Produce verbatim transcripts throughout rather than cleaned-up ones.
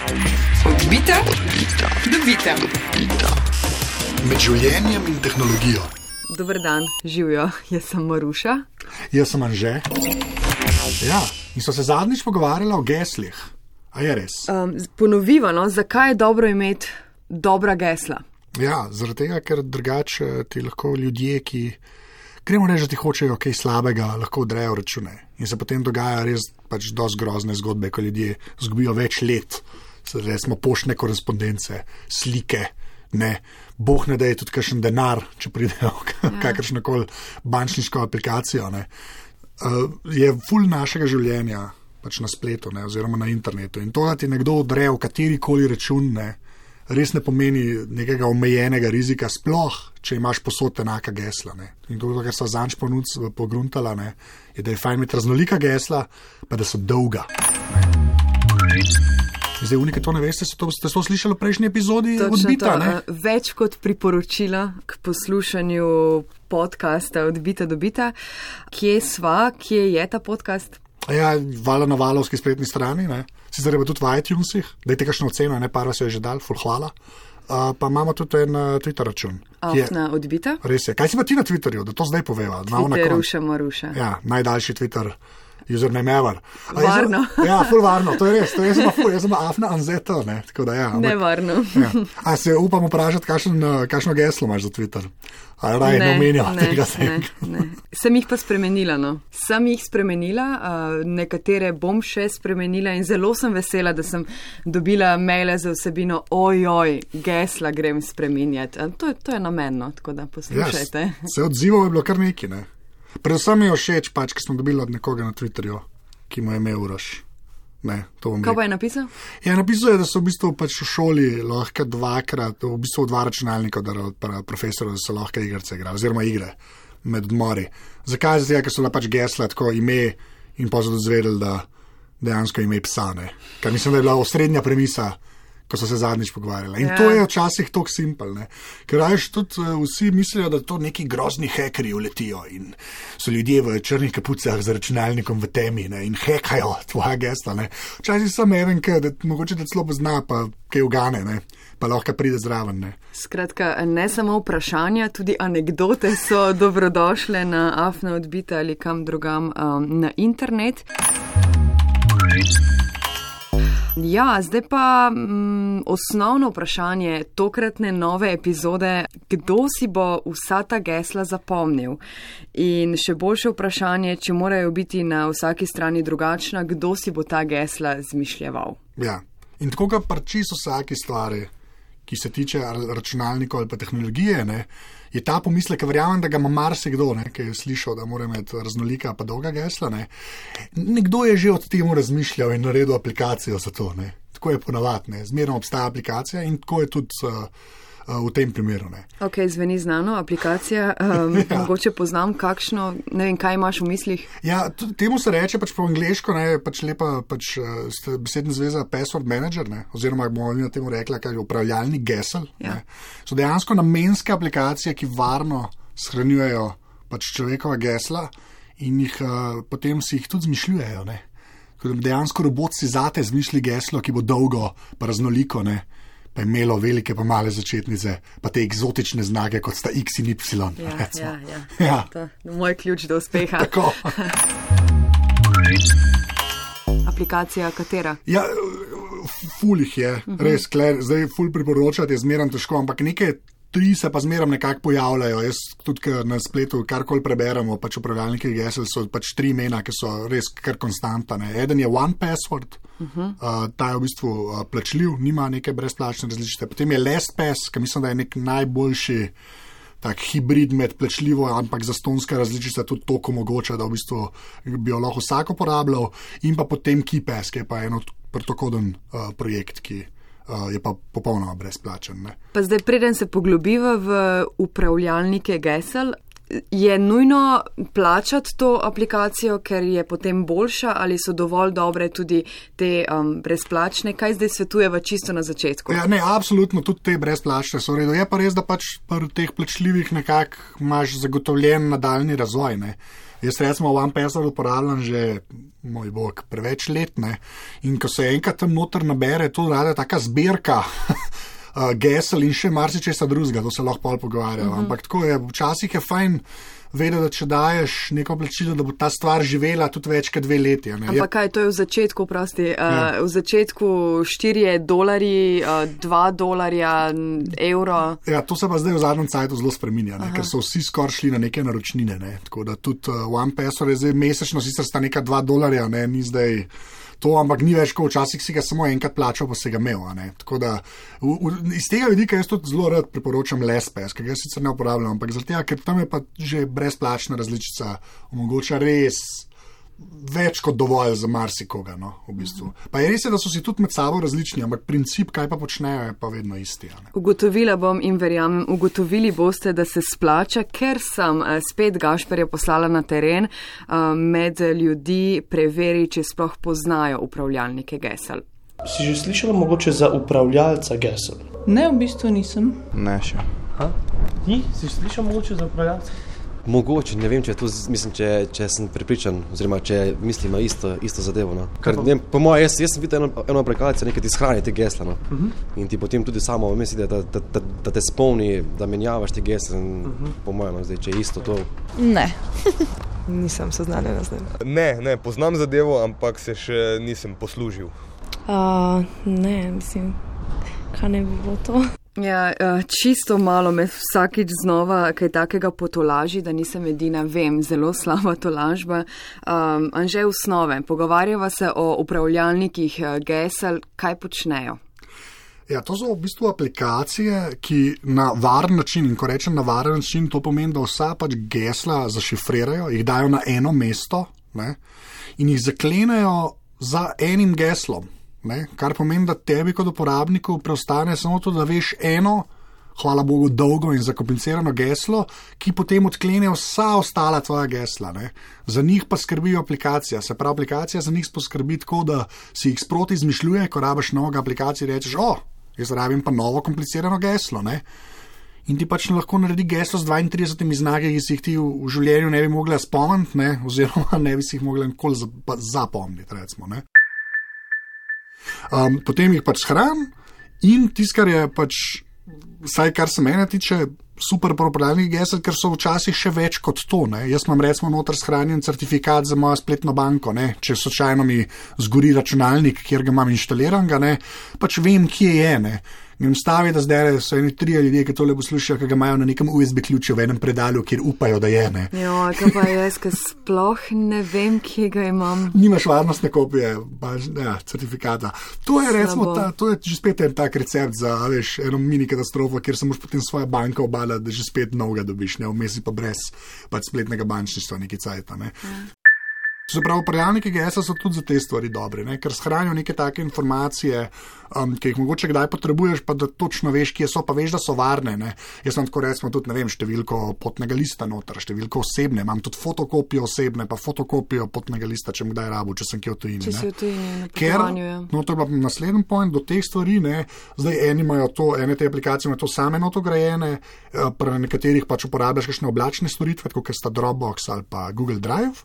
Odbita, dobita. Med življenjem in tehnologijo. Dober dan, živijo, jaz sem Maruša. Jaz sem Anže. Ja, in so se zadnjič pogovarjali o geslih. A je res? Um, ponoviva, no, zakaj je dobro imeti dobra gesla? Ja, zaradi tega, ker drugače ti lahko ljudje, ki gremo reči, da ti hočejo kaj slabega, lahko odrejo račune. In se potem dogaja res pač dosti grozne zgodbe, ko ljudje zgubijo več let. Resmo poštne korespondence, slike, ne. Boh ne da je tudi kakšen denar, če pridejo ja. kakršnokoli bančniško aplikacijo. Ne. Uh, je ful našega življenja pač na spletu, ne, oziroma na internetu. In to, da ti nekdo odre v katerikoli račun, ne, res ne pomeni nekega omejenega rizika, sploh, če imaš posod enaka gesla. Ne. In to, kar so zanč pogruntala, ne, je, da je fajn imeti raznolika gesla, pa da so dolga. Ne. Zdaj, unike to ne veste, ste to, ste to slišali v prejšnji epizodi Odbita, to, ne? Več kot priporočila k poslušanju podcasta Odbita, dobita. Kje sva, kje je ta podcast? Ja, vala na valovski spletni strani, ne? Sicer je pa tudi v iTunesih, dajte kakšno oceno, ne, par vas je že dal, ful hvala. Uh, pa imamo tudi en uh, Twitter račun. Afna Odbita? Res je. Kaj si pa ti na Twitterju, da to zdaj poveva? Twitteruša Maruša. Ja, najdaljši Twitter username ever. Varno. Ja, ful varno, to je res. To je jaz sem ful, jaz sem Afna Anzeto, ne, tako da ja. Ne varno. Ja. A se upam vprašati, kakšen, kakšno geslo imaš za Twitter? A raj ne omenjava tega sem. Ne, ne. Sem jih pa spremenila, no. Sem jih spremenila, uh, nekatere bom še spremenila in zelo sem vesela, da sem dobila maile za vsebino ojoj, gesla grem spreminjati. To, to je namenno, tako da poslušajte. Yes. Se odzivov je bilo kar neki, ne. Predvsem mi je všeč, pač, ki smo dobili od nekoga na Twitterju, ki mu je imel Uroš. Ne, to bom Kaj rekel. pa je napisal? Ja, napisal je, da so v bistvu pač v šoli lahko dvakrat, v bistvu dva računalnika od profesorov, da so lahko igrice igrali, oziroma igre med odmori. Zakaj? Zato, ker so bila pač gesla tako ime in pa so dozvedeli, da dejansko ime psa, ne. Ker mislim, da je bila osrednja premisa, ko so se zadnjič pogovarjali. In ja. To je včasih tako simpel, ne. Ker rajš tudi uh, vsi mislijo, da to neki grozni hekerji uletijo in so ljudje v črnih kapucah z računalnikom v temi, ne, in hekajo tvoja gesla, ne. Včasih sem even, da mogoče da celo pozna, pa kaj ugane, ne, pa lahko pride zraven, ne. Skratka, ne samo vprašanja, tudi anekdote so dobrodošle na Afna Odbita ali kam drugam um, na internet. Ja, zdaj pa mm, osnovno vprašanje tokratne nove epizode, kdo si bo vsa ta gesla zapomnil? In še boljše vprašanje, če morajo biti na vsaki strani drugačna, kdo si bo ta gesla zmišljeval? Ja, in tako ga parči so vsaki stvari, ki se tiče računalnikov ali pa tehnologije, ne, je ta pomislek, verjamem, da ga ima marsikdo, ne, ki je slišal, da mora imeti raznolika pa dolga gesla, ne. Nekdo je že od temu razmišljal in naredil aplikacijo za to, ne. Tako je ponavadi, ne. Zmerno obstaja aplikacija in tako je tudi uh, uh, v tem primeru, ne. Ok, zveni znano, aplikacija, um, ja. Mogoče poznam kakšno, ne vem, kaj imaš v mislih? Ja, temu se reče pač po angleško, ne, pač lepa pač uh, besedna zveza password manager, ne, oziroma bomo na temu rekla, kaj je upravljalnik gesel, ja. Ne. So dejansko namenske aplikacije, ki varno shranjujejo pač človekova gesla in jih uh, potem si jih tudi zmišljujejo, ne. Dejansko robot si zate zmišlji geslo, ki bo dolgo pa raznoliko, ne. Pa je imelo velike pa male začetnice, pa te eksotične znake, kot sta X in Y. Ja, recimo. ja, ja. Ja. To je moj ključ do uspeha. Tako. Aplikacija katera? Ja, ful jih je, uh-huh. Res, kler, zdaj ful priporočati je zmeram težko, ampak nekaj tri se pa zmeram nekako pojavljajo. Jaz tudi, ker na spletu karkoli preberemo, pač upravljalniki gesel so pač tri imena, ki so res kar konstantane. Eden je One Password, uh-huh. uh, ta je v bistvu uh, plačljiv, nima neke brezplačne različice. Potem je LastPass, ki mislim, da je nek najboljši tak hibrid med plačljivo, ampak zastonska različica tudi toliko omogoča, da v bistvu bi jo lahko vsak uporabljal. In pa potem KeyPass, ki je pa en protokoden uh, projekt, ki Uh, je pa popolnoma brezplačen. Ne? Pa zdaj, preden se poglobiva v upravljalnike gesel, je nujno plačati to aplikacijo, ker je potem boljša, ali so dovolj dobre tudi te um, brezplačne? Kaj zdaj svetujeva čisto na začetku? Ja, ne, absolutno, tudi te brezplačne so v redu. Je pa res, da pač pri teh plačljivih nekako imaš zagotovljen nadaljni razvoj. Ne? Jaz recimo OnePassword uporabljam že, moj bog, preveč let, ne. In ko se enkrat tam noter nabere, to rada taka zbirka uh, gesel in še marsičesa drugega, to se lahko pol pogovarjamo. Uh-huh. Ampak tako je, včasih je fajn vedeti, da če daješ neko plačilo, da bo ta stvar živela tudi več kot dve leti. Ne? Ampak kaj, to je v začetku, prosti, uh, v začetku štirje dolarji, uh, dva dolarja, evro. Ja, to se pa zdaj v zadnjem cajtu zelo spreminja, ne? Ker so vsi skoraj šli na neke naročnine, ne? Tako da tudi uh, OnePassword je zdaj mesečno, sicer sta neka dva dolarja, ne? Ni zdaj to, ampak ni več, ko včasih si ga samo enkrat plačal, pa si ga imel. Ne? Tako da v, v, iz tega vidika jaz tudi zelo rad priporočam LastPass, ker ga sicer ne uporabljam, ampak zaradi tega, ker tam je pa že brezplačna različica, omogoča res več kot dovolj za marsikoga, no, v bistvu. Pa je res, da so si tudi med sabo različni, ampak princip, kaj pa počnejo, je pa vedno isti. Ne? Ugotovila bom in verjamem, ugotovili boste, da se splača, ker sem spet Gašperja poslala na teren med ljudi preveri, če sploh poznajo upravljalnike gesel. Si že slišala mogoče za upravljalca gesel? Ne, v bistvu nisem. Ne še. Ha? Ti? Si slišala mogoče za upravljalca? Mogoče, ne vem, če, tu, mislim, če, če sem pripričan, oziroma če mislim na isto, isto zadevo. No. Ker, ne, po mojem, jaz, jaz sem videl eno, eno aplikacijo, nekaj ti shrani te gesla. No. Uh-huh. In ti potem tudi samo misli, da, da, da, da te spomni, da menjavaš te gesle. Uh-huh. Po mojem, no, zdaj, če je isto to. Ne, nisem seznanjena z tem. Ne, ne, poznam zadevo, ampak se še nisem poslužil. Uh, ne, mislim, kaj ne bi bilo to? Ja, čisto malo me vsakič znova kaj takega potolaži, da nisem edina, vem, zelo slaba tolažba. Um, Anže, osnove, pogovarjava se o upravljalnikih gesel, kaj počnejo? Ja, to so v bistvu aplikacije, ki na varen način, in ko rečem na varen način, to pomeni, da vsa pač gesla zašifrirajo, jih dajo na eno mesto, ne, in jih zaklenejo za enim geslom. Ne, kar pomeni, da tebi kot uporabniku preostane samo to, da veš eno, hvala Bogu, dolgo in zakomplicirano geslo, ki potem odklene vsa ostala tvoja gesla. Ne. Za njih pa skrbijo aplikacija. Se pravi, aplikacija za njih poskrbi tako, da si jih sproti izmišljuje, ko rabiš novega aplikacije, rečeš, o, jaz rabim pa novo komplicirano geslo. Ne. In ti pač lahko naredi geslo z dvaintridesetimi znaki, ki si jih ti v, v življenju ne bi mogla spomniti, ne, oziroma ne bi si jih mogla nikoli zapomniti, recimo, ne. Um, potem jih pač shran in tisto, kar je pač, vsaj kar se mene tiče, super uporabnih gesel, ker so včasih še več kot to. Ne. Jaz imam recimo noter shranjen certifikat za mojo spletno banko, ne. Če slučajno mi zgori računalnik, kjer ga imam inštaliran, ga, ne, pač vem, kje je. Ne. Grem stavi, da zdaj so eni trije ljudje, ki tole poslušajo, ki ga imajo na nekem U S B ključu v enem predalju, kjer upajo, da je. Ne. Jo, kaj pa jaz, ki sploh ne vem, kje ga imam. Nimaš varnostne kopije, pa, ja, certifikata. To je, recimo, ta, to je že spet en tak recept za, veš, eno mini katastrofo, kjer se moraš potem svoje banke obadati, da že spet novega dobiš, ne, vmes pa brez pač spletnega bančništva neki cajta, ne. Ja. Se pravi, upravljalniki gesel so tudi za te stvari dobri, ne? Ker shranijo neke take informacije, um, ki jih mogoče kdaj potrebuješ, pa da točno veš, kje so, pa veš, da so varne. Ne? Jaz sem tako recimo tudi, ne vem, številko potnega lista noter, številko osebne, imam tudi fotokopijo osebne, pa fotokopijo potnega lista, če kdaj rabu, če sem kje v tujini. Če si v tujini, na potovanju, ja. No, to je pa naslednji point do teh stvari, ne? Zdaj eni imajo to, ene te aplikacije imajo to same notograjene, pri nekaterih pač uporabljaš kakšne oblačne storitve, kot sta Dropbox ali pa Google Drive.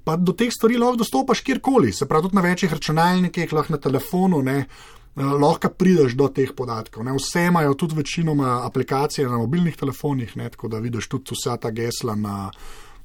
Pa do teh stvari lahko dostopaš kjerkoli, se pravi tudi na večjih računalnikih, lahko na telefonu, ne, lahko prideš do teh podatkov. Ne. Vse imajo tudi večinoma aplikacije na mobilnih telefonih, ne, tako da vidiš tudi vsa ta gesla na,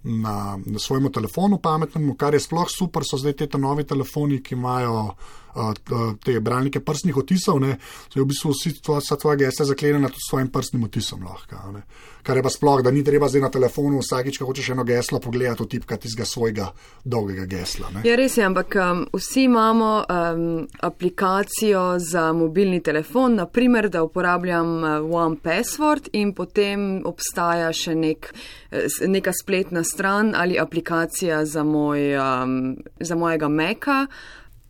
na, na svojemu telefonu pametnemu, kar je sploh super, so zdaj te novi telefoni, ki imajo uh, te bralnike prstnih otisov, ne, so v bistvu vsi vsa tvoja gesla zaklenjena tudi s svojim prstnim otisom lahko, ne. Kar je pa sploh, da ni treba zdaj na telefonu vsakič, ko hočeš eno geslo pogledati, otipkati iz svojega dolgega gesla. Ne? Ja, res je, ampak um, vsi imamo um, aplikacijo za mobilni telefon, naprimer, da uporabljam uh, OnePassword in potem obstaja še nek, neka spletna stran ali aplikacija za, moj, um, za mojega Maca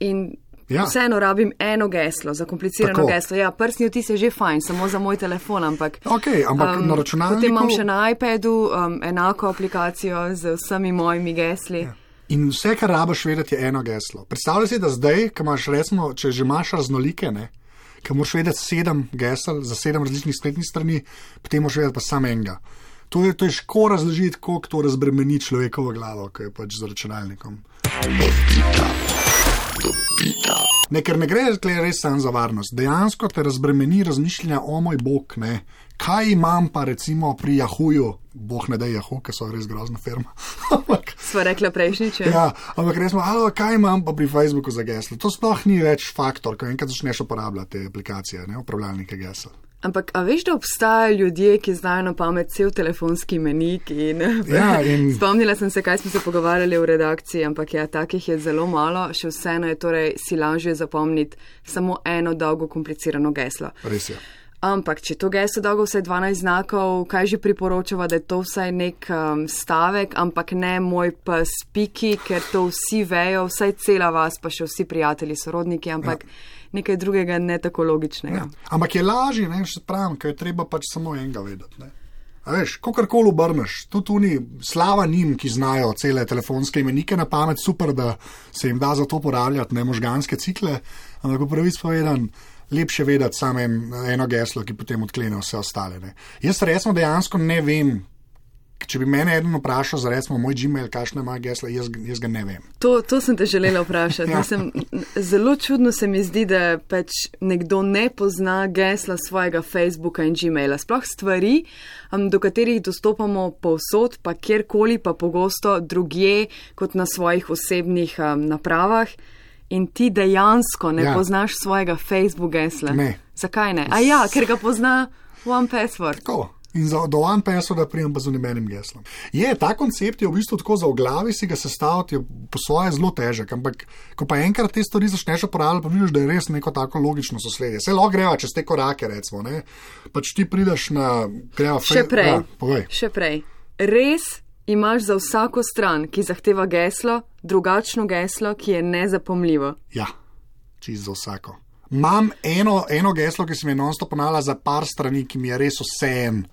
in ja. Vseeno rabim eno geslo, zakomplicirano Tako. geslo. Ja, prstni odtis je že fajn, samo za moj telefon, ampak, okay, ampak um, na računalniku... Potem imam še na iPadu um, enako aplikacijo z vsemi mojimi gesli. Ja. In vse, kar rabiš vedeti, je eno geslo. Predstavljaj si, da zdaj, ko imaš, recimo, če že imaš raznolike, ne, ko moraš vedeti sedem gesel za sedem različnih spletnih strani, potem moraš vedeti pa samo enega. To je težko razložiti, koliko to razbremeni človekovo glavo, ko je pač z računalnikom. Ne, ker ne gre res samo za varnost. Dejansko te razbremeni razmišljanja, o moj bog, ne. Kaj imam pa recimo pri Yahooju, boh ne da Yahoo, ker so res grozna firma. Sva rekla prejšnjič. Ja, ampak resmo, alo, kaj imam pa pri Facebooku za geslo? To sploh ni več faktor, ko enkrat začneš uporabljati te aplikacije, ne, upravljalnike gesel. Ampak, a veš, da obstajajo ljudje, ki znajo na pamet cel telefonski menik in, ja, in... spomnila sem se, kaj smo se pogovarjali v redakciji, ampak ja, takih je zelo malo, še vseeno je torej si lažje zapomniti samo eno dolgo komplicirano geslo. Res je. Ampak, če to geslo dolgo vsaj dvanajst znakov, kaj že priporočava, da je to vsaj nek um, stavek, ampak ne moj pes piki, ker to vsi vejo, vsaj cela vas, pa še vsi prijatelji, sorodniki, ampak ja. Nekaj drugega ne tako logičnega. Ja. Ampak je lažje, ne, še pravim, ker je treba pač samo enega vedeti, ne. A veš, kakorkoli obrneš, tudi tuni slava njim, ki znajo cele telefonske imenike na pamet, super, da se jim da za to uporabljati, ne možganske cikle, ampak v pravic povedan, lepše vedeti samo en, eno geslo, ki potem odklene vse ostale. Ne. Jaz resno dejansko ne vem, če bi mene eden vprašal za recimo moj Gmail, kakšne ima gesla, jaz, jaz ga ne vem. To, to sem te želela vprašati. Ja. Mislim, zelo čudno se mi zdi, da pač nekdo ne pozna gesla svojega Facebooka in Gmaila. Sploh stvari, um, do katerih dostopamo povsod, pa kjerkoli, pa pogosto drugje kot na svojih osebnih um, napravah. In ti dejansko ne ja. Poznaš svojega Facebook gesla. Ne. Zakaj ne? A ja, ker ga pozna One Password. Tako. In za, do One Passworda prijem pa z unimenim geslom. Je, ta koncept je v bistvu tako za v glavi si ga sestaviti, je po svoje zelo težek, ampak ko pa enkrat te stvari začneš uporabljati, pa vidiš, da je res neko tako logično sosledje. Se lahko greva čez te korake, recimo, ne? Pač ti prideš na... Greva, še prej, ja, povej. Še prej. Res imaš za vsako stran, ki zahteva geslo, drugačno geslo, ki je nezapomljivo. Ja, čisto za vsako. Imam eno, eno geslo, ki se mi je non-stop ponavljala za par strani, ki mi je res vseeno.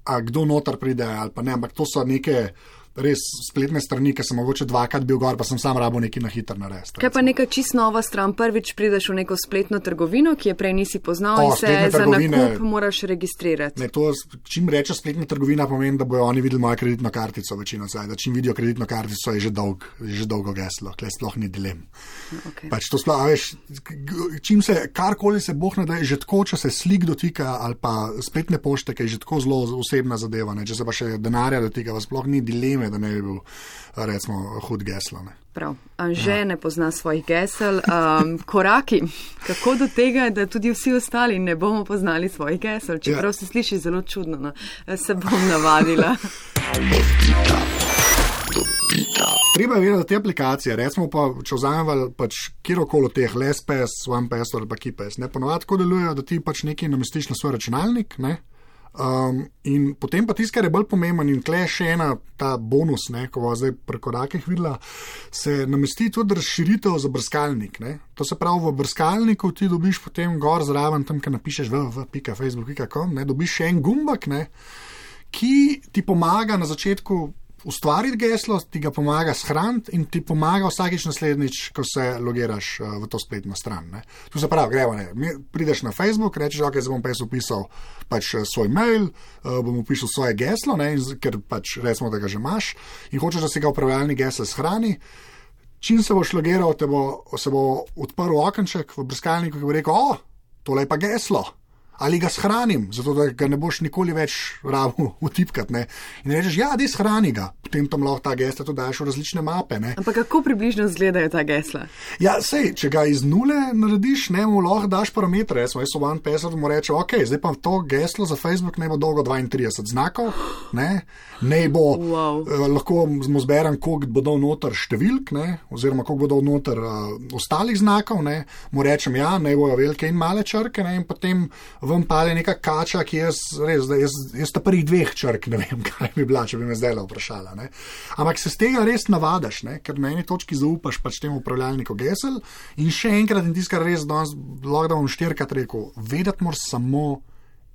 A kdo noter pride ali pa ne, ampak to so neke res spletne strani, ki sem mogoče dvakrat bil gor, pa sem sam rabo nekaj na hitro narediti. Kaj pa neka čist nova stran? Prvič prideš v neko spletno trgovino, ki je prej nisi poznal o, in se za nakup moraš registrirati. Ne, to, čim reče spletna trgovina, pomeni, da bojo oni videli mojo kreditno kartico večino zdaj, da čim vidijo kreditno kartico, je že, dolg, je že dolgo geslo, kle sploh ni dilem. Okay. Pač to sploh, veš, čim se, karkoli se boh ne da, je že tako, če se slik dotika ali pa spletne pošte, ki je že tako zelo osebna zadeva, ne, če se pa še denarja dotika, pa sploh ni dileme, da ne bi bil, recimo, hud geslo. Ne. Prav. Anže ja. Ne pozna svojih gesel. Um, koraki, kako do tega, da tudi vsi ostali ne bomo poznali svojih gesel, čeprav ja. Se sliši zelo čudno, no. Se bom navadila. Treba je vedeti, da te aplikacije, recimo pa, če vzamemo pač kjerokoli teh, LastPass, OnePass ali pa KeePass, ne, ponovadi tako delujejo, da ti pač nekaj namestiš na svoj računalnik, ne, Um, in potem pa tisto, kar je bolj pomemben in tle še ena ta bonus, ne, ko bo zdaj pri korakih videla, se namesti tudi razširitev za brskalnik. Ne. To se pravi, v brskalniku ti dobiš potem gor zraven, tam, kjer napišeš www pika facebook pika com, ne, dobiš še en gumbak, ne, ki ti pomaga na začetku ustvariti geslo, ti ga pomaga shraniti in ti pomaga vsakič naslednjič, ko se logiraš uh, v to spletno stran. Ne. Tu se pravi, gremo, ne, prideš na Facebook, rečeš, ok, zdaj bom pa jaz upisal pač svoj mail, uh, bom upisal svoje geslo, ne, ker pač recimo, da ga že imaš in hočeš, da se ga upravljalni gesel shrani. Čim se boš logiral, te bo, se bo odprl okenček v brskalniku, ki bo rekel, o, tole je pa geslo. Ali ga shranim, zato da ga ne boš nikoli več rabo utipkati. Ne? In rečeš, ja, dej shrani ga, potem tam lahko ta gesla to daš v različne mape. Ne? Ampak kako približno izgledajo ta gesla? Ja, sej, če ga iz nule narediš, ne, mu lahko daš parametre. Jaz sem One Password, mu reče, ok, zdaj pa to geslo za Facebook ne bo dolgo dvaintrideset znakov, ne, ne bo, wow. eh, lahko mu zberem, koliko bo dal noter številk, ne, oziroma koliko bo dal noter uh, ostalih znakov, ne, mu rečem, ja, ne bojo velike in male črke, ne, in potem vam pale neka kača, ki jaz, res, da jaz, jaz ta prvih dveh črk, ne vem, kaj bi bila, če bi me zdaj vprašala. Ne. Ampak se z tega res navadaš, ne, ker na eni točki zaupaš pač temu upravljalniku gesel in še enkrat in tiskar res danes, lahko da bom štirikrat rekel, vedeti moraš samo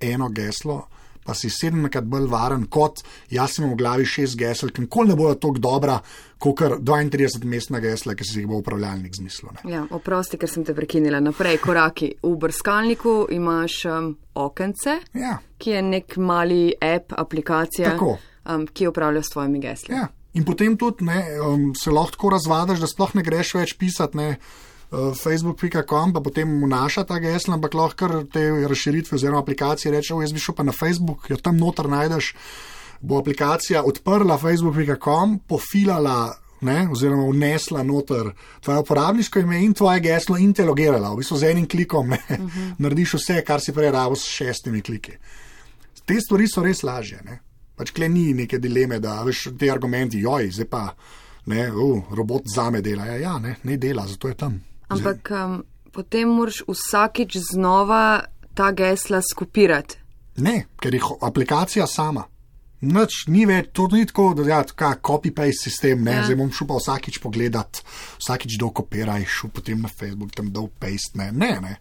eno geslo, pa si sedemkrat bolj varen, kot jaz imam v glavi šest gesel, ki nikoli ne bojo tako dobra, kot dvaintrideset mestna gesla, ki si jih bo upravljalnik zmislil. Ne. Ja, oprosti, ker sem te prekinila. Naprej, koraki. V brskalniku imaš um, okence, ja. ki je nek mali app, aplikacija, um, ki upravlja s tvojimi gesli. Ja. In potem tudi ne, um, se lahko tako razvadaš, da sploh ne greš več pisati ne, uh, facebook pika com, pa potem vnaša ta gesla, ampak lahko kar te razširitve oziroma aplikacije reče, o, jaz bi šel pa na Facebook, jo tam noter najdeš, bo aplikacija odprla facebook pika com, pofilala ne, oziroma vnesla noter tvoje uporabniško ime in tvoje geslo in te logirala. V bistvu z enim klikom ne, uh-huh. narediš vse, kar si prej rabil s šestimi kliki. Te stvari so res lažje, ne. Pač kle ni neke dileme, da veš te argumenti, joj, zdaj pa, ne, uh, robot zame dela. Ja, ja, ne, ne dela, zato je tam. Ampak um, potem moraš vsakič znova ta gesla skopirati. Ne, ker je aplikacija sama. Nič, ni več, to ni tako, da ja, copy-paste sistem, ne, ja. Zdaj bom šel pa vsakič pogledat, vsakič dokopiraj, šel potem na Facebook, tam dol paste, ne, ne, ne.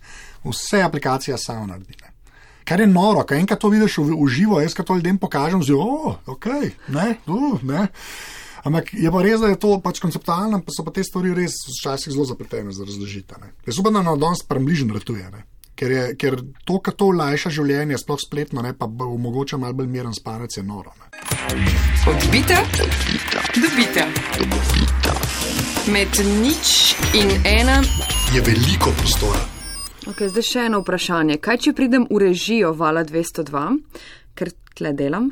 Vse aplikacija sama naredi, ne. Kar je noro, kaj enkrat to vidiš v, v živo, jaz kad to ljudem pokažem, zdi, o, ok, ne, uh, ne. Ampak je pa res, da je to pač konceptualno, pa so pa te stvari res včasih zelo zapletene za razložiti, ne. Jaz upam, da na danes prembližen ratuje, ne. Ker, je, ker to, kar to olajša življenje, sploh spletno, ne, pa omogoča malo bolj miren spanec, je noro, ne. Odbita, dobita. Med nič in ena je veliko prostora. Ok, zdaj še eno vprašanje. Kaj, če pridem v režijo Vala dvesto dva, ker tle delam,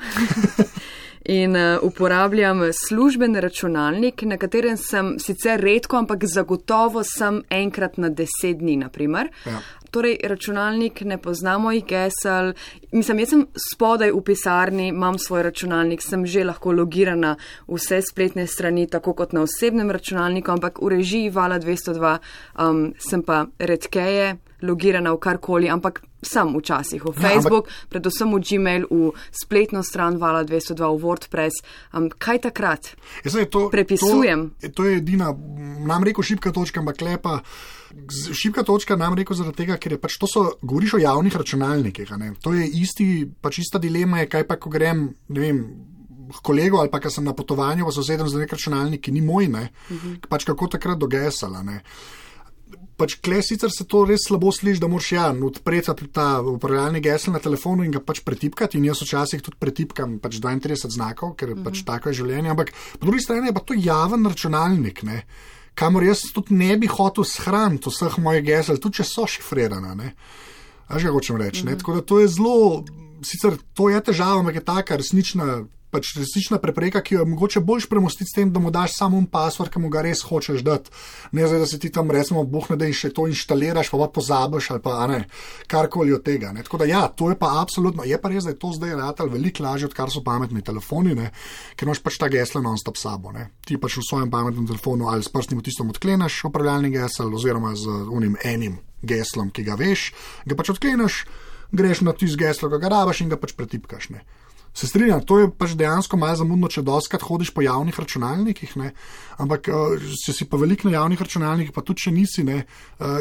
in uh, uporabljam služben računalnik, na katerem sem sicer redko, ampak zagotovo sem enkrat na deset dni, naprimer. Ja. Torej, računalnik ne pozna mojih gesel. Mislim, jaz sem spodaj v pisarni, imam svoj računalnik, sem že lahko logirana vse spletne strani, tako kot na osebnem računalniku, ampak v režiji Vala dvesto dva um, sem pa redkeje logirana v karkoli, ampak sem včasih v Facebook, ja, ampak predvsem v Gmail, v spletno stran Vala dvesto dva, v WordPress. Um, kaj takrat? Zdaj, to, prepisujem? To, to je edina, nam rekel šibka točka, ampak lepa. Šibka točka nam rekel zaradi tega, ker je pač to so, govoriš o javnih računalnikih, ne? To je isti, pač ista dilema je, kaj pa, ko grem, ne vem, kolego ali pa, ko sem na potovanju, pa so sedem za nek računalnik, ki ni moj, ne? Uh-huh. Pač kako takrat dogesala, ne? Pač kle sicer se to res slabo sliši, da moraš ja, odpreti ta upravljalni gesel na telefonu in ga pač pretipkati, in jaz včasih tudi pretipkam pač dvaintrideset znakov, ker je uh-huh. pač tako je življenje, ampak po drugi strani je pa to javen računalnik, ne? Kamor jaz tudi ne bi hotel shraniti vseh mojih gesel, tudi če so šifrirana, ne. A že hočem reči, ne. Mm-hmm. Tako da to je zelo, sicer to je težava, ampak je taka resnična, pač resnična prepreka, ki jo je mogoče boljš premostiti s tem, da mu daš samo un password, ki mu ga res hočeš dati. Ne zdaj, da se ti tam recimo buhne, da in še to inštaliraš, pa pa pozabiš ali pa, a ne, karkoli od tega, ne. Tako da ja, to je pa absolutno, je pa res, da je to zdaj ratal veliko lažje, odkar so pametni telefoni, ne, ker imaš pač ta gesla non-stop sabo, ne. Ti pač v svojem pametnem telefonu ali s prstnim odtiskom odkleneš upravljalni gesel oziroma z unim enim geslom, ki ga veš, ga pač odkleneš, greš na tisto geslo, ga rabaš in ga pač pretipkaš, ne. Se strinjam, to je pač dejansko malo zamudno, če doskrat hodiš po javnih računalnikih, ne, ampak če si pa veliko na javnih računalnikih, pa tudi če nisi, ne,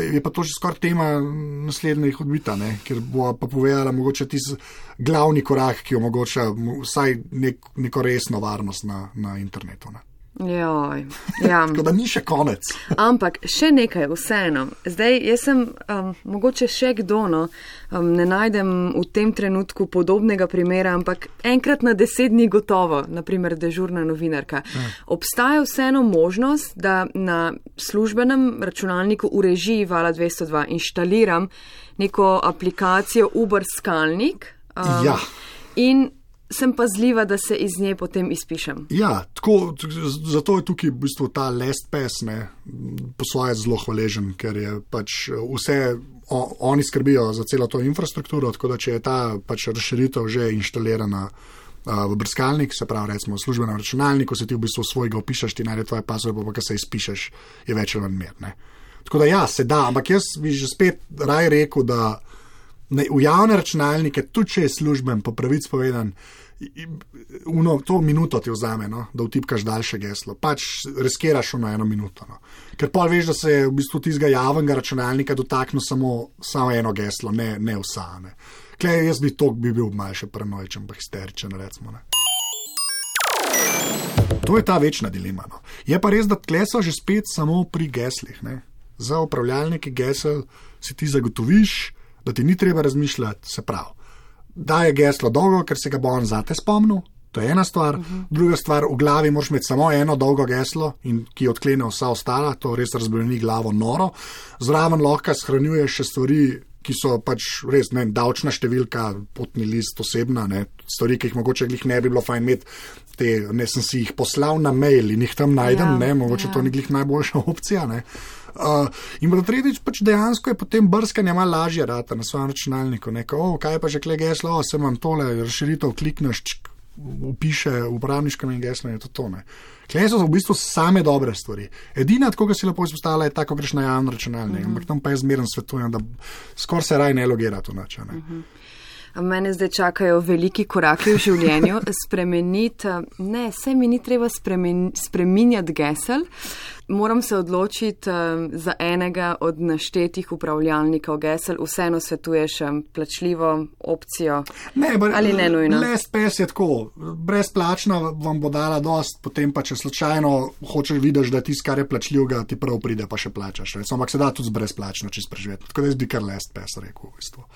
je pa to že skoraj tema naslednjih odbita, ne, ker bo pa povedala mogoče tisti glavni korak, ki omogoča vsaj nek, neko resno varnost na, na internetu, ne. Joj, ja. Tako da ni še konec. Ampak še nekaj vseeno. Zdaj, jaz sem, um, mogoče še kdo, no, um, ne najdem v tem trenutku podobnega primera, ampak enkrat na deset dni gotovo, naprimer dežurna novinarka. Ja. Obstaja vseeno možnost, da na službenem računalniku v režiji Vala dvesto dva inštaliram neko aplikacijo Uber skalnik. Um, ja. In sem pazljiva, da se iz nje potem izpišem. Ja, tako, zato je tukaj v bistvu ta LastPass, ne, po svoje zelo hvaležen, ker je pač vse, o, oni skrbijo za celo to infrastrukturo, tako da če je ta pač razširitev že inštalirana uh, v brskalnik, se pravi recimo v službenem računalniku, se ti v bistvu svojega opišeš, ti najde tvoje password, pa pa se izpišeš, je več ali manj mer, ne. Tako da ja, se da, ampak jaz bi že spet raj rekel, da ne, v javne računalnike, tudi če je služben, po pravic povedan, uno, to minuto ti vzame, no, da vtipkaš daljše geslo. Pač riskiraš na eno minuto. No. Ker pa veš, da se je v bistvu tistega javnega računalnika dotaknil samo, samo eno geslo, ne, ne vsa. Ne. Klej, jaz bi to bi bil malce paranoičen, pa histeričen, recimo. Ne. To je ta večna dilema. No. Je pa res, da tle so že spet samo pri geslih. Ne. Za upravljalnike gesel si ti zagotoviš, da ti ni treba razmišljati, se pravi. Da je geslo dolgo, ker se ga bo on zate spomnil, to je ena stvar. Uh-huh. Druga stvar, v glavi moraš imeti samo eno dolgo geslo, in ki odklene vsa ostala, to res razbremeni glavo noro. Zraven lahko shranjuješ še stvari, ki so pač res, ne, davčna številka, potni list, osebna, ne, stvari, ki jih mogoče glih ne bi bilo fajn imeti, te, ne, sem si jih poslal na mail in jih tam najdem, ja, ne, mogoče ja. To ni glih najboljša opcija, ne. Uh, in pa tretjič, pač dejansko je potem brskanje malo lažje rata na svojem računalniku. Neko, oh, kaj pa že kle geslo, oh, se imam tole, razširitev klikneš, čk, upiše uporabniškem in geslo in je to to. Ne. Kle so v bistvu same dobre stvari. Edina, tako ga si lepo izpostavila, je tako, greš na javno računalnik, uh-huh. ampak tam pa jaz zmeren svetujem, da skoraj se raj ne logira to nač. Ne. Uh-huh. Mene zdaj čakajo veliki koraki v življenju, spremeniti, ne, se mi ni treba spremen, spreminjati gesel, moram se odločiti um, za enega od naštetih upravljalnikov gesel, vseeno svetuješ um, plačljivo opcijo ne, bar, ali ne nujno. LastPass je tako, brezplačna vam bo dala dost, potem pa če slučajno hočeš vidiš, da tisto, kar je plačljivega, ti prav pride, pa še plačaš. Recimo, ampak se da tudi brezplačno čist preživeti. Tako da jaz bi kar LastPass rekel v bistvu.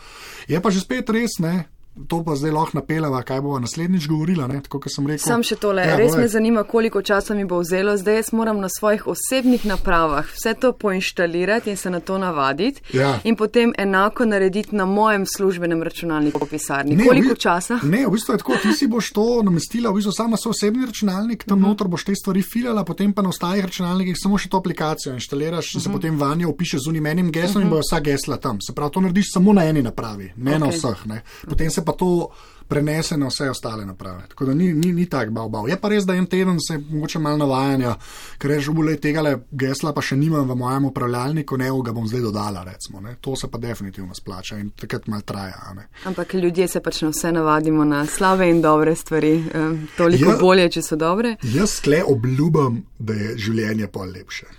Je pa že spet res, ne? To pa zdaj lahko napeljava, kaj bova naslednjič govorila, ne, tako kot sem rekel. Sam še tole, ja, res me zanima, koliko časa mi bo vzelo, zdaj jaz moram na svojih osebnih napravah vse to poinštalirati in se na to navaditi ja. In potem enako narediti na mojem službenem računalniku v pisarni. Ne, koliko v, časa? Ne, v bistvu je tako, ti si boš to namestila, v bistvu samo svoj osebni računalnik, tam uh-huh. notor boš te stvari filala, potem pa na ostalih računalnikih samo še to aplikacijo inštaliraš in uh-huh. se potem vanjo upišeš z unim enim geslom uh-huh. in bojo vsa gesla tam. Se pravi, to narediš samo na eni napravi, ne okay. na vseh, ne. Potem se pa to prenese na vse ostale naprave. Tako da ni, ni, ni tak bav, bav. Je pa res, da en teden se mogoče malo navajanja, ker reč, bolej tegale gesla pa še nimam v mojem upravljalniku, ne, ga bom zdaj dodala, recimo. Ne. To se pa definitivno splača in takrat malo traja. Ne. Ampak ljudje se pač na vse navadimo na slabe in dobre stvari. Um, toliko ja, bolje, če so dobre. Jaz skle obljubam, da je življenje pol lepše.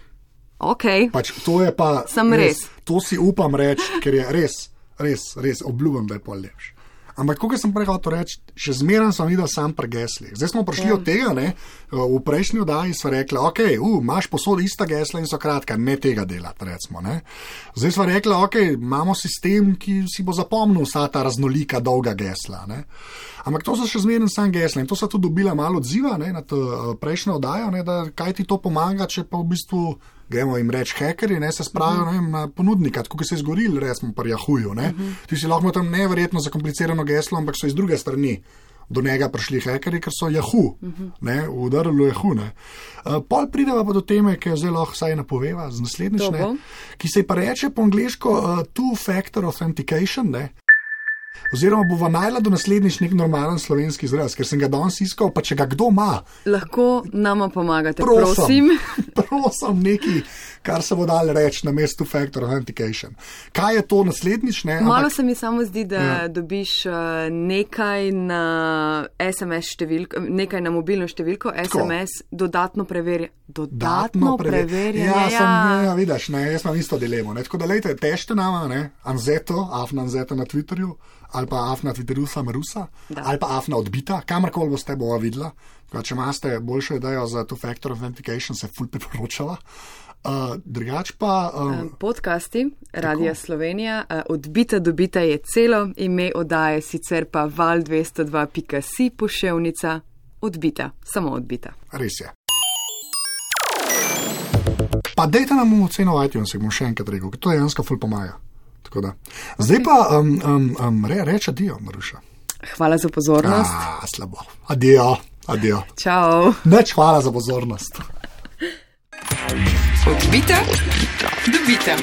Ok. Pač to je pa Sam res. res. To si upam reči, ker je res, res, res obljubam, da je pol lepše. Ampak, kako sem prej hotel reči, še zmeraj sem videl sam pri geslih. Zdaj smo prišli ja. od tega, ne, v prejšnji oddaji smo rekli, ok, uh, imaš posod ista gesla in so kratka, ne tega delati, recimo, ne. Zdaj smo rekli, ok, imamo sistem, ki si bo zapomnil vsa ta raznolika dolga gesla, ne. Ampak to so še zmeraj sam gesla in to so tudi dobila malo odziva, ne, na to prejšnjo oddajo, ne, da kaj ti to pomaga, če pa v bistvu gremo jim reči hekeri, ne, se spravijo uh-huh. na ponudnika, tako kot se je zgoril, recimo pri Yahooju, ne. Uh-huh. Ti si lahko tam neverjetno zakomplicirano geslo, ampak so iz druge strani do njega prišli hekeri, ker so Yahoo, uh-huh. ne, udarili Yahoo, ne. Uh, pol prideva pa do teme, ki jo zdaj lahko vsaj napoveva z naslednjič, ne, ki se pa reče po angleško uh, two-factor authentication, ne. Oziroma bova najla do naslednjič nek normalen slovenski izraz, ker sem ga danes iskal, pa če ga kdo ima. Lahko nama pomagate, prosim. Prosim, prosim neki, kar se bo dal reči na mestu Factor Authentication. Kaj je to naslednjič? Ne? Malo Ampak, se mi samo zdi, da ja. dobiš nekaj na es em es številko, nekaj na mobilno številko, es em es, Tako. dodatno preverja. Dodatno preverjanje. Ja, ja. Sem, ja, vidiš, ne, jaz imam isto dilemo. Ne? Tako da lejte, tešte nama, ne, Anzeto, Afna Anzeta na Twitterju, ali pa Afna Twitterusa Marusa, da. ali pa Afna Odbita, kamorkoli boste bova videla. Če imate boljšo idejo za two-factor authentication, se ful priporočala. Uh, drugač pa... Um, Podcasti Radia Slovenija, uh, Odbita dobita je celo, ime oddaje sicer pa val dvesto dva pika si poševnica Odbita, samo Odbita. Res je. Pa dejte nam oceno v iTunes, bom še enkrat rekel, ker to dejansko ful pomaga. Tako da. Zdaj pa um, um, um, re, reč adijo, Maruša. Hvala za pozornost. A, slabo. Adijo, adijo. Čau. Neč hvala za pozornost. Odbita, dobita.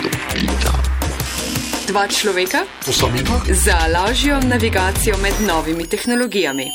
Dva človeka za lažjo navigacijo med novimi tehnologijami.